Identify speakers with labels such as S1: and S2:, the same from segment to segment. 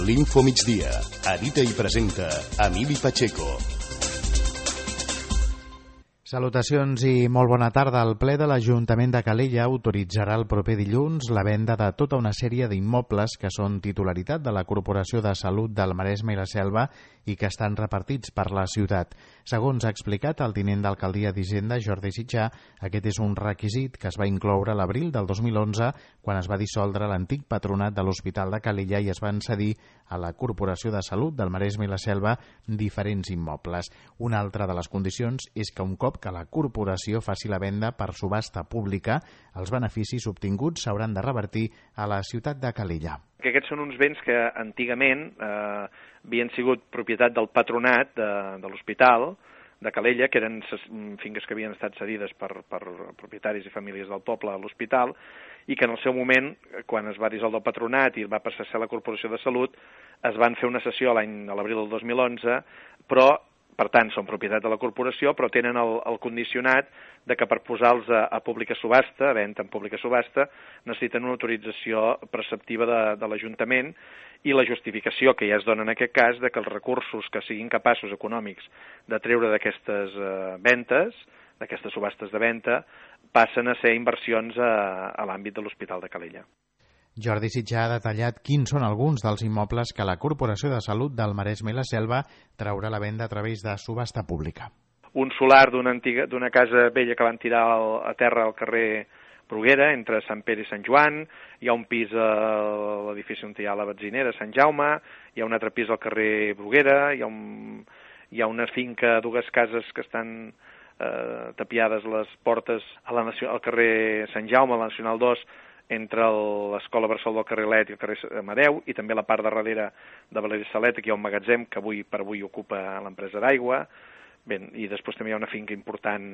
S1: L'Info Migdia. Edita i presenta Emili Pacheco.
S2: Salutacions i molt bona tarda. El ple de l'Ajuntament de Calella autoritzarà el proper dilluns la venda de tota una sèrie d'immobles que són titularitat de la Corporació de Salut del Maresme i la Selva i que estan repartits per la ciutat. Segons ha explicat el tinent d'alcaldia d'Hisenda, Jordi Sitjà, aquest és un requisit que es va incloure a l'abril del 2011 quan es va dissoldre l'antic patronat de l'Hospital de Calella i es van cedir a la Corporació de Salut del Maresme i la Selva diferents immobles. Una altra de les condicions és que un cop que la corporació faci la venda per subhasta pública, els beneficis obtinguts s'hauran de revertir a la ciutat de Calella.
S3: Aquests són uns béns que antigament havien sigut propietat del patronat de l'hospital de Calella, que eren finques que havien estat cedides per propietaris i famílies del poble a l'hospital, i que en el seu moment, quan es va dissoldre el patronat i va passar a ser la Corporació de Salut, es van fer una sessió a l'abril del 2011, però per tant, són propietat de la corporació, però tenen el condicionat de que per posar-los a pública subhasta, a venda en pública subhasta, necessiten una autorització preceptiva de l'Ajuntament i la justificació que ja es dona en aquest cas de que els recursos que siguin capaços econòmics de treure d'aquestes ventes, d'aquestes subhastes de venda, passen a ser inversions a l'àmbit de l'Hospital de Calella.
S2: Jordi Sitjà ha detallat quins són alguns dels immobles que la Corporació de Salut del Maresme i la Selva traurà a la venda a través de subhasta pública.
S3: Un solar d'una casa vella que van tirar a terra al carrer Bruguera, entre Sant Pere i Sant Joan, hi ha un pis a l'edifici on hi ha la benzinera, Sant Jaume, hi ha un altre pis al carrer Bruguera, hi ha una finca, dues cases que estan tapiades les portes al carrer Sant Jaume, a la Nacional 2, entre l'Escola Bressol del carrer Let i el carrer Amadeu, i també la part de darrere de Valeri Salet, aquí hi ha un magatzem que avui ocupa l'empresa d'aigua. Bé, i després també hi ha una finca important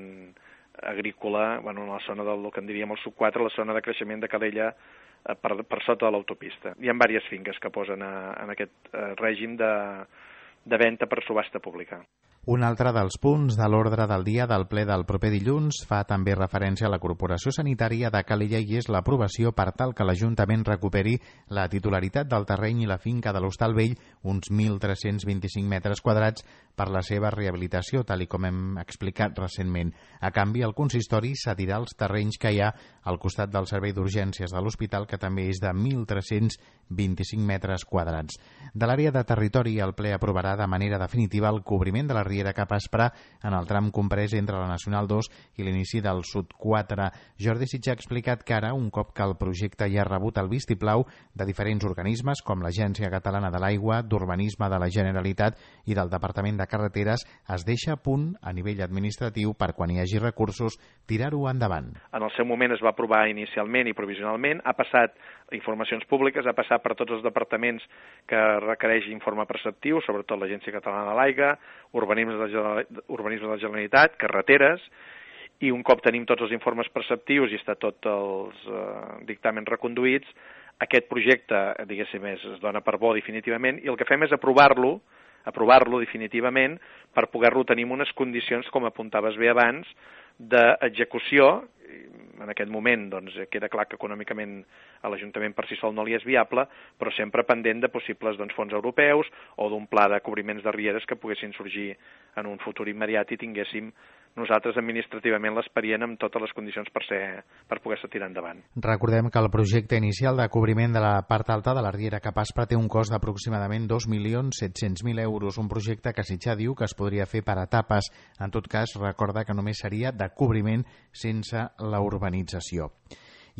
S3: agrícola, en la zona del que en diríem el sub-4, la zona de creixement de Calella, per sota de l'autopista. Hi ha diverses finques que posen en aquest règim de venda per subhasta pública.
S2: Un altre dels punts de l'ordre del dia del ple del proper dilluns fa també referència a la Corporació Sanitària de Calella i és l'aprovació per tal que l'Ajuntament recuperi la titularitat del terreny i la finca de l'Hostal Vell, uns 1.325 metres quadrats, per la seva rehabilitació, tal i com hem explicat recentment. A canvi, el consistori cedirà els terrenys que hi ha al costat del servei d'urgències de l'hospital, que també és de 1.325 metres quadrats. De l'àrea de territori, el ple aprovarà de manera definitiva el cobriment de la Riera cap a Aspra en el tram comprès entre la Nacional 2 i l'inici del Sud 4. Jordi Sitjà ha explicat que ara, un cop que el projecte ja ha rebut el vistiplau de diferents organismes com l'Agència Catalana de l'Aigua, d'Urbanisme de la Generalitat i del Departament de Carreteres, es deixa a punt a nivell administratiu per quan hi hagi recursos tirar-ho endavant.
S3: En el seu moment es va aprovar inicialment i provisionalment, ha passat informacions públiques, ha passat per tots els departaments que requereix informe preceptiu, sobretot l'Agència Catalana de l'Aigua, Urbanisme de la Generalitat, Carreteres, i un cop tenim tots els informes preceptius i està tots els dictàmens reconduïts, aquest projecte, diguéssim, es dona per bo definitivament i el que fem és aprovar-lo definitivament per poder-lo tenir en unes condicions, com apuntaves bé abans, d'execució. En aquest moment queda clar que econòmicament a l'Ajuntament per si sol no li és viable, però sempre pendent de possibles fons europeus o d'un pla de cobriments de rieres que poguessin sorgir en un futur immediat i tinguéssim nosaltres administrativament l'expedient amb totes les condicions per poder-se tirar endavant.
S2: Recordem que el projecte inicial de cobriment de la part alta de la Riera cap a Aspra té un cost d'aproximadament 2.700.000 euros, un projecte que Sitjà diu que es podria fer per etapes. En tot cas, recorda que només seria de cobriment sense la urbanització.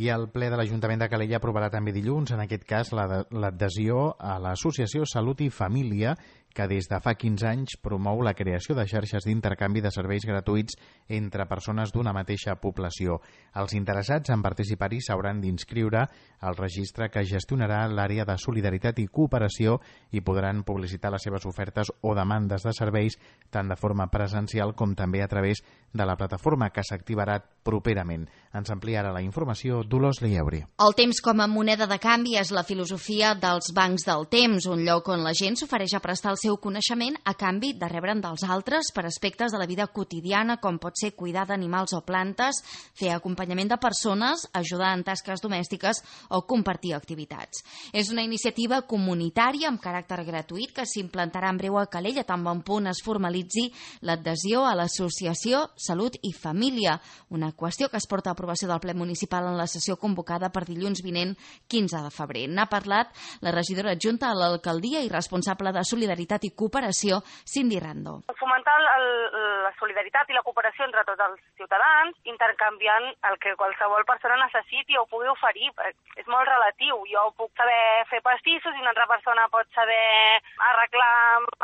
S2: I el ple de l'Ajuntament de Calella aprovarà també dilluns, en aquest cas, l'adhesió a l'Associació Salut i Família, que des de fa 15 anys promou la creació de xarxes d'intercanvi de serveis gratuïts entre persones d'una mateixa població. Els interessats en participar-hi s'hauran d'inscriure al registre que gestionarà l'àrea de solidaritat i cooperació i podran publicitar les seves ofertes o demandes de serveis tant de forma presencial com també a través de la plataforma que s'activarà properament. Ens ampliarà la informació Dolors Lieuri.
S4: El temps com a moneda de canvi és la filosofia dels bancs del temps, un lloc on la gent s'ofereix a prestar el seu coneixement a canvi de rebre'n dels altres per aspectes de la vida quotidiana, com pot ser cuidar d'animals o plantes, fer acompanyament de persones, ajudar en tasques domèstiques o compartir activitats. És una iniciativa comunitària amb caràcter gratuït que s'implantarà en breu a Calella, tan bon punt es formalitzi l'adhesió a l'associació Salut i Família, una qüestió que es porta a aprovació del ple municipal en la sessió convocada per dilluns vinent 15 de febrer. N'ha parlat la regidora adjunta a l'alcaldia i responsable de Solidaritat i Cooperació, Cindy Rando.
S5: Fomentar la solidaritat i la cooperació entre tots els ciutadans, intercanviant el que qualsevol persona necessiti o pugui oferir. És molt relatiu. Jo puc saber fer pastissos i una altra persona pot saber arreglar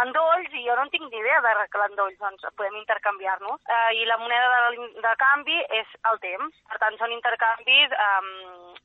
S5: endolls i jo no tinc ni idea d'arreglar endolls, doncs podem intercanviar-nos. I la moneda de canvi és el temps. Per tant, són intercanvis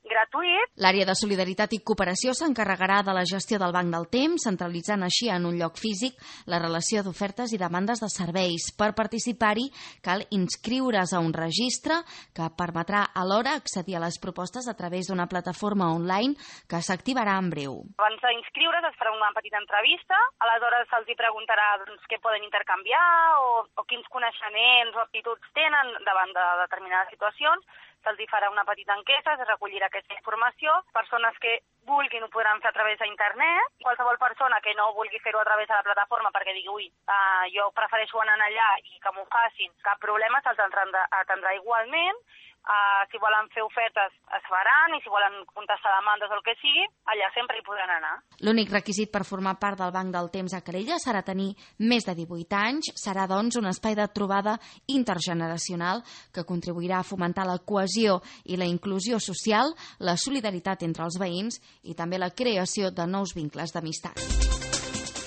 S5: gratuïts.
S4: L'àrea de Solidaritat i Cooperació s'encarregarà de la gestió del banc del temps, centralitzant així en un lloc físic la relació d'ofertes i demandes de serveis. Per participar-hi cal inscriure's a un registre que permetrà alhora accedir a les propostes a través d'una plataforma online que s'activarà en breu.
S5: Abans d'inscriure's es farà una petita entrevista, aleshores se'ls preguntarà què poden intercanviar o quins coneixements o aptituds tenen davant de determinades situacions. Se'ls farà una petita enquesta, es recollirà aquesta informació. Persones que vulguin ho podran fer a través d'internet. Qualsevol persona que no vulgui fer-ho a través de la plataforma perquè digui jo prefereixo anar allà i que m'ho facin, cap problema, se'ls atendrà igualment. Si volen fer ofertes es faran i si volen contestar demandes o el que sigui, allà sempre hi podran anar.
S4: L'únic requisit per formar part del Banc del Temps a Calella serà tenir més de 18 anys. Serà, doncs, un espai de trobada intergeneracional que contribuirà a fomentar la cohesió i la inclusió social, la solidaritat entre els veïns i també la creació de nous vincles d'amistat.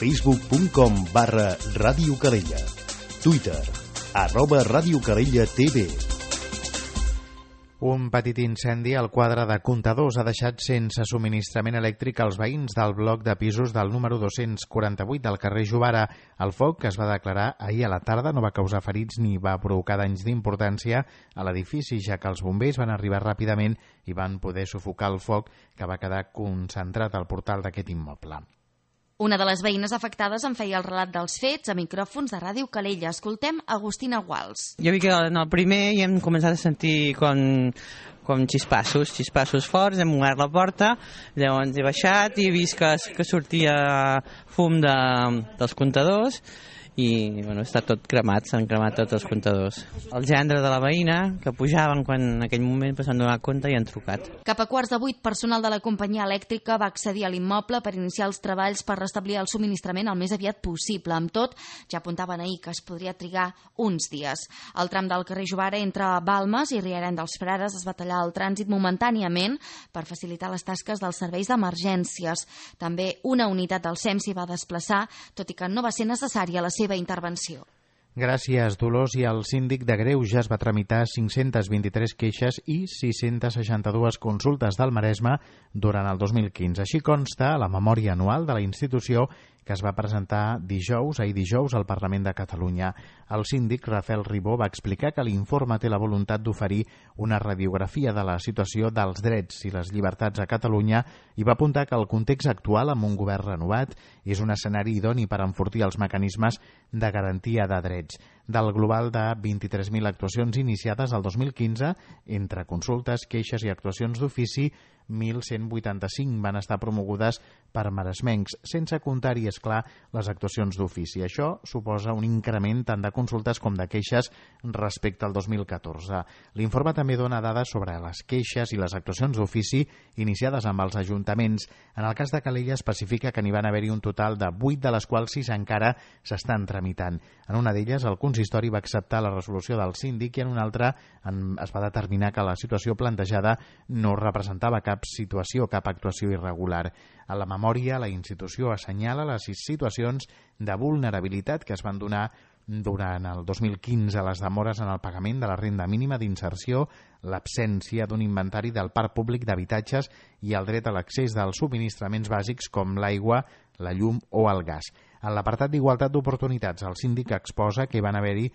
S1: Facebook.com/Ràdio Calella. Twitter @Ràdio Calella TV.
S2: Un petit incendi al quadre de comptadors ha deixat sense subministrament elèctric als veïns del bloc de pisos del número 248 del carrer Jovara. El foc, que es va declarar ahir a la tarda, no va causar ferits ni va provocar danys d'importància a l'edifici, ja que els bombers van arribar ràpidament i van poder sufocar el foc que va quedar concentrat al portal d'aquest immoble.
S4: Una de les veïnes afectades en feia el relat dels fets a micròfons de Ràdio Calella. Escoltem Agustina Guals.
S6: Jo vi que en el primer ja hem començat a sentir com xispassos forts, hem obert la porta, llavors he baixat i he vist que sortia fum dels comptadors i bueno, està tot cremat, s'han cremat tots els comptadors. El gendre de la veïna, que pujaven quan en aquell moment s'han donat compte i han trucat.
S4: Cap a 7:15, personal de la companyia elèctrica va accedir a l'immoble per iniciar els treballs per restablir el subministrament el més aviat possible. Amb tot, ja apuntaven ahir que es podria trigar uns dies. El tram del carrer Jovara entre Balmes i Riarenc dels Frares es va tallar el trànsit momentàniament per facilitar les tasques dels serveis d'emergències. També una unitat del SEM s'hi va desplaçar, tot i que no va ser necessària la seva intervenció.
S2: Gràcies, Dolors. I el síndic de Greuges va tramitar 523 queixes i 662 consultes del Maresme durant el 2015. Així consta a la memòria anual de la institució que es va presentar ahir dijous al Parlament de Catalunya. El síndic Rafael Ribó va explicar que l'informe té la voluntat d'oferir una radiografia de la situació dels drets i les llibertats a Catalunya i va apuntar que el context actual, amb un govern renovat, és un escenari idoni per enfortir els mecanismes de garantia de drets. Del global de 23.000 actuacions iniciades el 2015, entre consultes, queixes i actuacions d'ofici, 1.185 van estar promogudes per maresmencs, sense comptar-hi, és clar, les actuacions d'ofici. Això suposa un increment tant de consultes com de queixes respecte al 2014. L'informe també dona dades sobre les queixes i les actuacions d'ofici iniciades amb els ajuntaments. En el cas de Calella especifica que n'hi van haver-hi un total de 8, de les quals 6 encara s'estan tramitant. En una d'elles, el consistori va acceptar la resolució del síndic i en una altra es va determinar que la situació plantejada no representava cap actuació irregular. A la memòria, la institució assenyala les 6 situacions de vulnerabilitat que es van donar durant el 2015, les demores en el pagament de la renda mínima d'inserció, l'absència d'un inventari del parc públic d'habitatges i el dret a l'accés dels subministraments bàsics com l'aigua, la llum o el gas. En l'apartat d'igualtat d'oportunitats, el síndic exposa que hi van haver-hi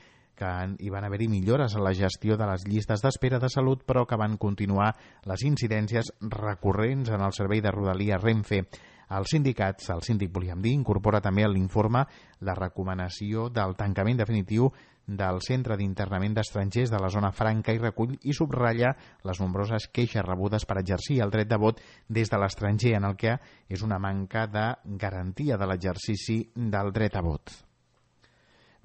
S2: millores en la gestió de les llistes d'espera de salut, però que van continuar les incidències recurrents en el servei de Rodalia Renfe. Els sindicats, el síndic volíem dir, incorpora també a l'informe la recomanació del tancament definitiu del Centre d'Internament d'Estrangers de la Zona Franca i recull i subratlla les nombroses queixes rebudes per exercir el dret de vot des de l'estranger, en el que és una manca de garantia de l'exercici del dret a vot.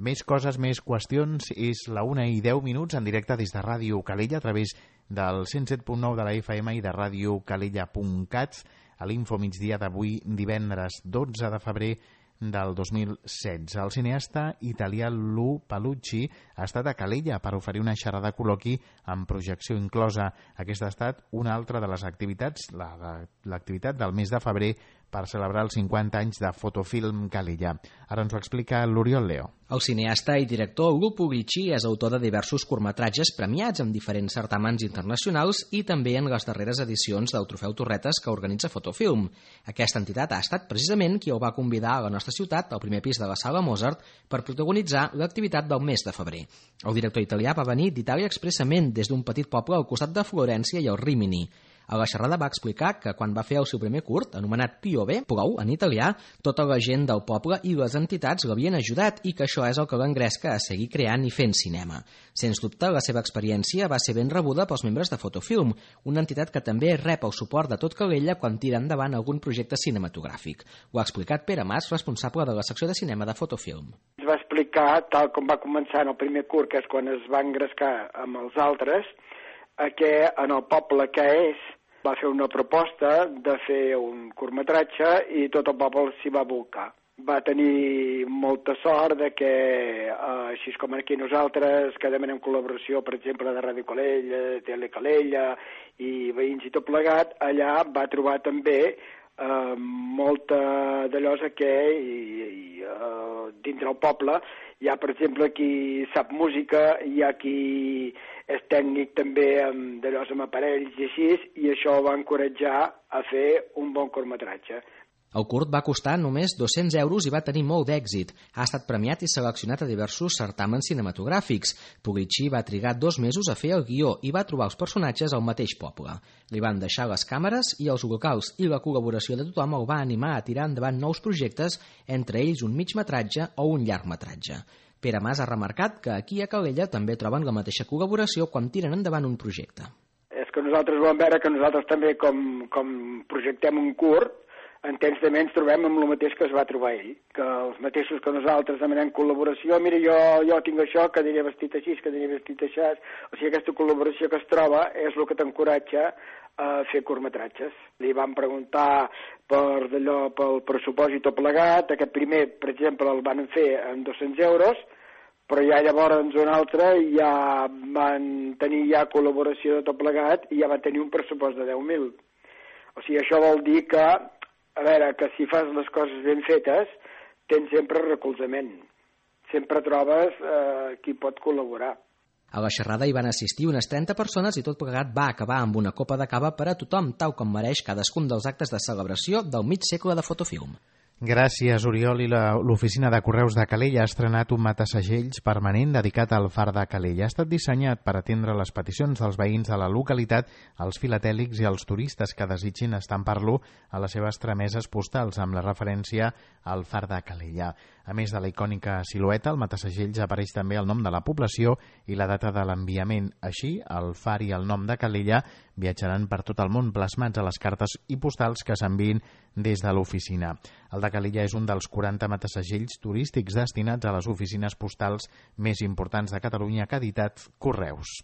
S2: Més coses, més qüestions, és la 1:10 en directe des de Ràdio Calella a través del 107.9 de la FM i de radiocalella.cat a l'Info Migdia d'avui divendres 12 de febrer del 2016. El cineasta italià Lu Palucci ha estat a Calella per oferir una xerrada col·loqui amb projecció inclosa. Aquesta ha estat una altra de les activitats, l'activitat del mes de febrer per celebrar els 50 anys de Fotofilm Calella. Ara ens ho explica l'Oriol Leo.
S7: El cineasta i director Lu Palucci és autor de diversos curtmetratges premiats en diferents certàmens internacionals i també en les darreres edicions del Trofeu Torretes que organitza Fotofilm. Aquesta entitat ha estat precisament qui el va convidar a la nostra ciutat, al primer pis de la Sala Mozart, per protagonitzar l'activitat del mes de febrer. El director italià va venir d'Itàlia expressament des d'un petit poble al costat de Florència i el Rímini. A la xerrada va explicar que quan va fer el seu primer curt, anomenat Piove, plou en italià, tota la gent del poble i les entitats l'havien ajudat i que això és el que l'engresca a seguir creant i fent cinema. Sens dubte, la seva experiència va ser ben rebuda pels membres de Fotofilm, una entitat que també rep el suport de tot Calella quan tira endavant algun projecte cinematogràfic. Ho ha explicat Pere Mas, responsable de la secció de cinema de Fotofilm.
S8: Es va explicar, tal com va començar en el primer curt, que és quan es va engrescar amb els altres, que en el poble que és, va fer una proposta de fer un curtmetratge i tot el poble s'hi va volcar. Va tenir molta sort de que, així com aquí nosaltres, que demanem col·laboració, per exemple, de Ràdio Calella, de Tele Calella i veïns i tot plegat, allà va trobar també molta d'allò que dintre el poble hi ha, per exemple, qui sap música, hi ha qui és tècnic també d'allò amb aparells i així, i això va encoratjar a fer un bon curtmetratge.
S7: El curt va costar només 200 euros i va tenir molt d'èxit. Ha estat premiat i seleccionat a diversos certàmens cinematogràfics. Puglici va trigar 2 mesos a fer el guió i va trobar els personatges al mateix poble. Li van deixar les càmeres i els locals i la col·laboració de tothom el va animar a tirar endavant nous projectes, entre ells un migmetratge o un llargmetratge. Pere Mas ha remarcat que aquí a Calella també troben la mateixa col·laboració quan tiren endavant un projecte.
S8: És que nosaltres volem veure que nosaltres també, com projectem un curt, en temps també ens trobem amb el mateix que es va trobar ell, que els mateixos que nosaltres demanem col·laboració, mira, jo tinc això, que aniré vestit així, que aniré vestit així, o sigui, aquesta col·laboració que es troba és el que t'encoratja a fer curtmetratges. Li van preguntar pel pressupost i tot plegat, aquest primer, per exemple, el van fer amb 200 euros, però ja llavors un altre ja van tenir ja col·laboració de tot plegat i ja van tenir un pressupost de 10.000. O sigui, això vol dir que, a veure, que si fas les coses ben fetes, tens sempre recolzament. Sempre trobes qui pot col·laborar.
S7: A la xerrada hi van assistir unes 30 persones i tot plegat va acabar amb una copa de cava per a tothom, tal com mereix cadascun dels actes de celebració del mig segle de Fotofilm.
S2: Gràcies, Oriol. I l'oficina de correus de Calella ha estrenat un matasegells permanent dedicat al far de Calella. Ha estat dissenyat per atendre les peticions dels veïns de la localitat, els filatèlics i els turistes que desitgin estampar-lo a les seves trameses postals, amb la referència al far de Calella. A més de la icònica silueta, al matasegells apareix també el nom de la població i la data de l'enviament. Així, el far i el nom de Calella viatjaran per tot el món plasmats a les cartes i postals que s'enviïn des de l'oficina. El de Calella és un dels 40 matasegells turístics destinats a les oficines postals més importants de Catalunya que ha editat Correus.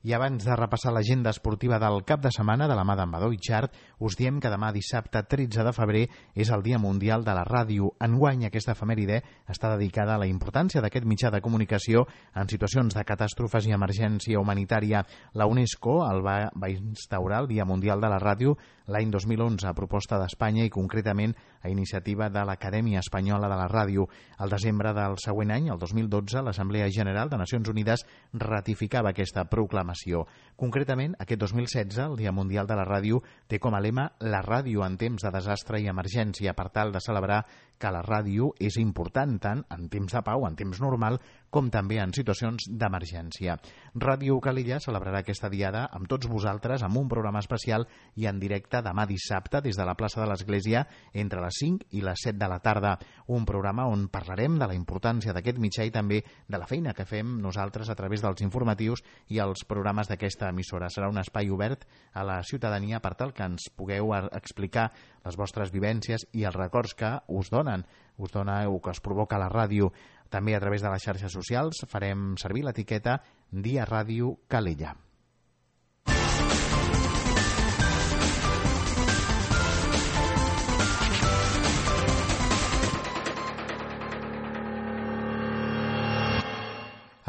S2: I abans de repassar l'agenda esportiva del cap de setmana de la mà d'en Badó Itxart, us diem que demà dissabte 13 de febrer és el Dia Mundial de la Ràdio. Enguany aquesta efemèride està dedicada a la importància d'aquest mitjà de comunicació en situacions de catàstrofes i emergència humanitària. La UNESCO el va instaurar el Dia Mundial de la Ràdio l'any 2011 a proposta d'Espanya i concretament a iniciativa de l'Acadèmia Espanyola de la Ràdio. Al desembre del següent any, el 2012, l'Assemblea General de Nacions Unides ratificava aquesta proclamació. Concretament, aquest 2016, el Dia Mundial de la Ràdio té com a lema la ràdio en temps de desastre i emergència, per tal de celebrar que la ràdio és important tant en temps de pau, en temps normal, com també en situacions d'emergència. Ràdio Calella celebrarà aquesta diada amb tots vosaltres amb un programa especial i en directe demà dissabte des de la plaça de l'Església entre les 5 i les 7 de la tarda. Un programa on parlarem de la importància d'aquest mitjà i també de la feina que fem nosaltres a través dels informatius i els programes d'aquesta emissora. Serà un espai obert a la ciutadania per tal que ens pugueu explicar les vostres vivències i els records que us donen o que us provoca la ràdio. També a través de les xarxes socials farem servir l'etiqueta Dia Ràdio Calella.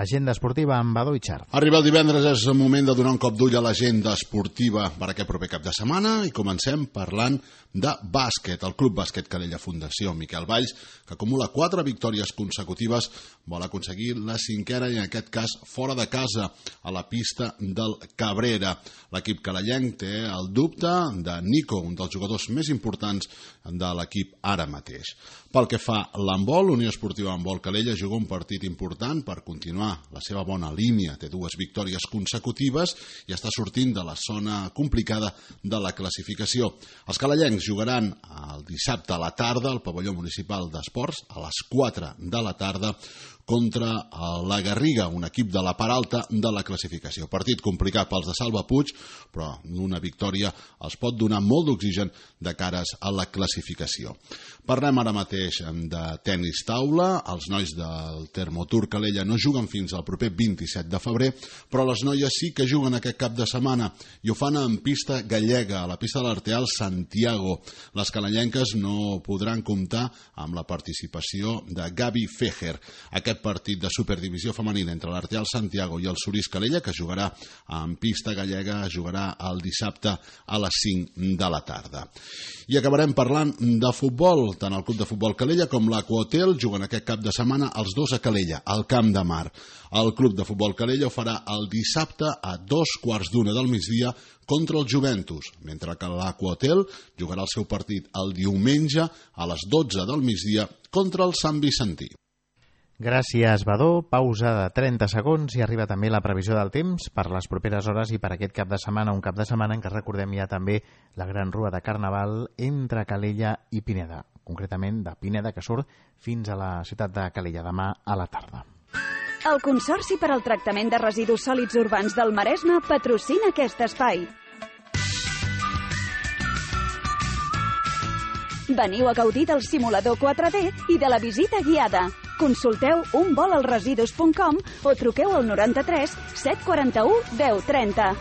S2: Agenda esportiva amb Badó i Xart.
S9: Arriba el divendres, és el moment de donar un cop d'ull a l'agenda esportiva per aquest proper cap de setmana i comencem parlant de bàsquet. El Club Bàsquet Calella Fundació Miquel Valls, que acumula 4 victòries consecutives, vol aconseguir la 5ª i en aquest cas fora de casa, a la pista del Cabrera. L'equip calellenc té el dubte de Nico, un dels jugadors més importants de l'equip ara mateix. Pel que fa a l'handbol, Unió Esportiva Handbol Calella juga un partit important per continuar la seva bona línia. Té 2 victòries consecutives i està sortint de la zona complicada de la classificació. Els calellencs jugaran el dissabte a la tarda al pavelló municipal d'esports a les 4 de la tarda contra la Garriga, un equip de la part alta de la classificació. Partit complicat pels de Salva Puig, però una victòria els pot donar molt d'oxigen de cares a la classificació. Parlem ara mateix de tenis taula. Els nois del Termotur Calella no juguen fins al proper 27 de febrer, però les noies sí que juguen aquest cap de setmana i ho fan en pista gallega, a la pista de l'Arteal Santiago. Les calellenques no podran comptar amb la participació de Gavi Fejer. Aquest partit de superdivisió femenina entre l'Arteal Santiago i el Surís Calella, que jugarà en pista gallega, jugarà el dissabte a les 5 de la tarda. I acabarem parlant de futbol. Tant el Club de Futbol Calella com l'Aquahotel juguen aquest cap de setmana els dos a Calella, al Camp de Mar. El Club de Futbol Calella ho farà el dissabte a 2:15 del migdia contra el Juventus, mentre que l'Aquahotel jugarà el seu partit el diumenge a les 12 del migdia contra el Sant Vicentí.
S2: Gràcies, Badó. Pausa de 30 segons i arriba també la previsió del temps per les properes hores i per aquest cap de setmana, un cap de setmana en què recordem ja també la gran rua de Carnaval entre Calella i Pineda, concretament de Pineda, que surt fins a la ciutat de Calella demà a la tarda.
S10: El Consorci per al Tractament de Residus Sòlids Urbans del Maresme patrocina aquest espai. Veniu a gaudir del simulador 4D i de la visita guiada. Consulteu unvolalresidus.com o truqueu al 93 741 1030.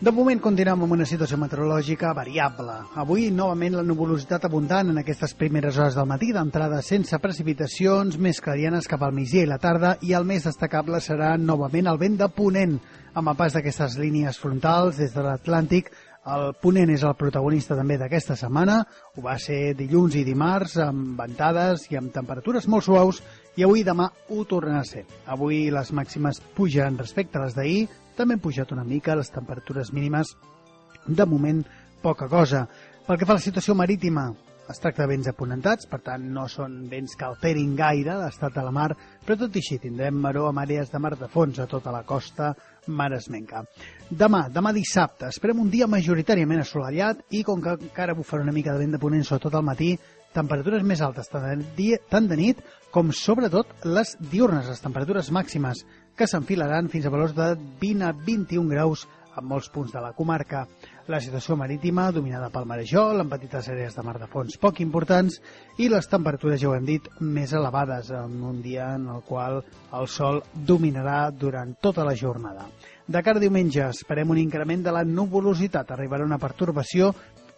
S11: De moment continuem amb una situació meteorològica variable. Avui, novament, la nuvolositat abundant en aquestes primeres hores del matí, d'entrada sense precipitacions, més clarianes cap al migdia i la tarda, i el més destacable serà novament el vent de ponent, amb el pas d'aquestes línies frontals des de l'Atlàntic. El ponent és el protagonista també d'aquesta setmana, ho va ser dilluns i dimarts, amb ventades i amb temperatures molt suaus, i avui i demà ho tornen a ser. Avui les màximes pugen respecte a les d'ahir, també han pujat una mica les temperatures mínimes, de moment poca cosa. Pel que fa a la situació marítima, es tracta de vents aponentats, per tant no són vents que alterin gaire l'estat de la mar, però tot i així tindrem maror amb àrees de mar de fons a tota la costa maresmenca. Demà dissabte, esperem un dia majoritàriament assolellat i com que encara bufarà una mica de vent de ponent sobretot al matí, temperatures més altes tant de nit com sobretot les diurnes, les temperatures màximes que s'enfilaran fins a valors de 20 a 21 graus en molts punts de la comarca. La situació marítima dominada pel marejol, amb petites àrees de mar de fons poc importants i les temperatures, ja ho hem dit, més elevades en un dia en el qual el sol dominarà durant tota la jornada. De cara a diumenge esperem un increment de la nuvolositat. Arribarà una pertorbació,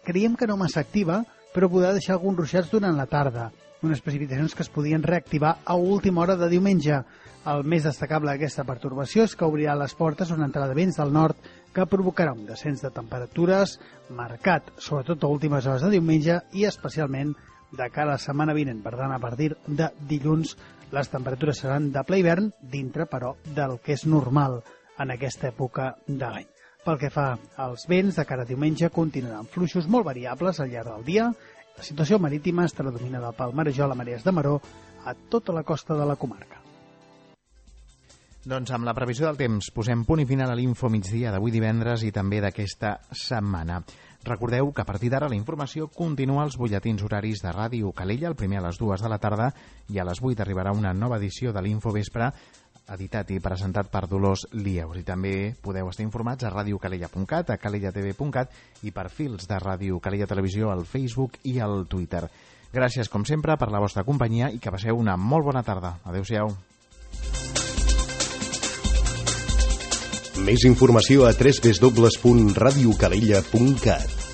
S11: creiem que no massa activa, però podrà deixar alguns ruixats durant la tarda. Unes precipitacions que es podien reactivar a última hora de diumenge. El més destacable d'aquesta pertorbació és que obrirà les portes una entrada de vents del nord que provocarà un descens de temperatures marcat, sobretot a últimes hores de diumenge i especialment de cara a la setmana vinent. Per tant, a partir de dilluns les temperatures seran de ple hivern, dintre, però, del que és normal en aquesta època de l'any. Pel que fa als vents, de cara a diumenge continuaran fluixos molt variables al llarg del dia La situació marítima estarà dominada pel marejol a marees de maró a tota la costa de la comarca.
S2: Doncs amb la previsió del temps posem punt i final a l'Info Migdia d'avui divendres i també d'aquesta setmana. Recordeu que a partir d'ara la informació continua als butlletins horaris de Ràdio Calella, el primer a les 2 de la tarda i a les 8 arribarà una nova edició de l'Info Vespre, editat i presentat per Dolors Lieus. I també podeu estar informats a radiocalella.cat, a calellatv.cat i per fils de Ràdio Calella Televisió al Facebook i al Twitter. Gràcies, com sempre, per la vostra companyia i que passeu una molt bona tarda. Adéu-siau.
S1: Més informació a www.radiocalella.cat.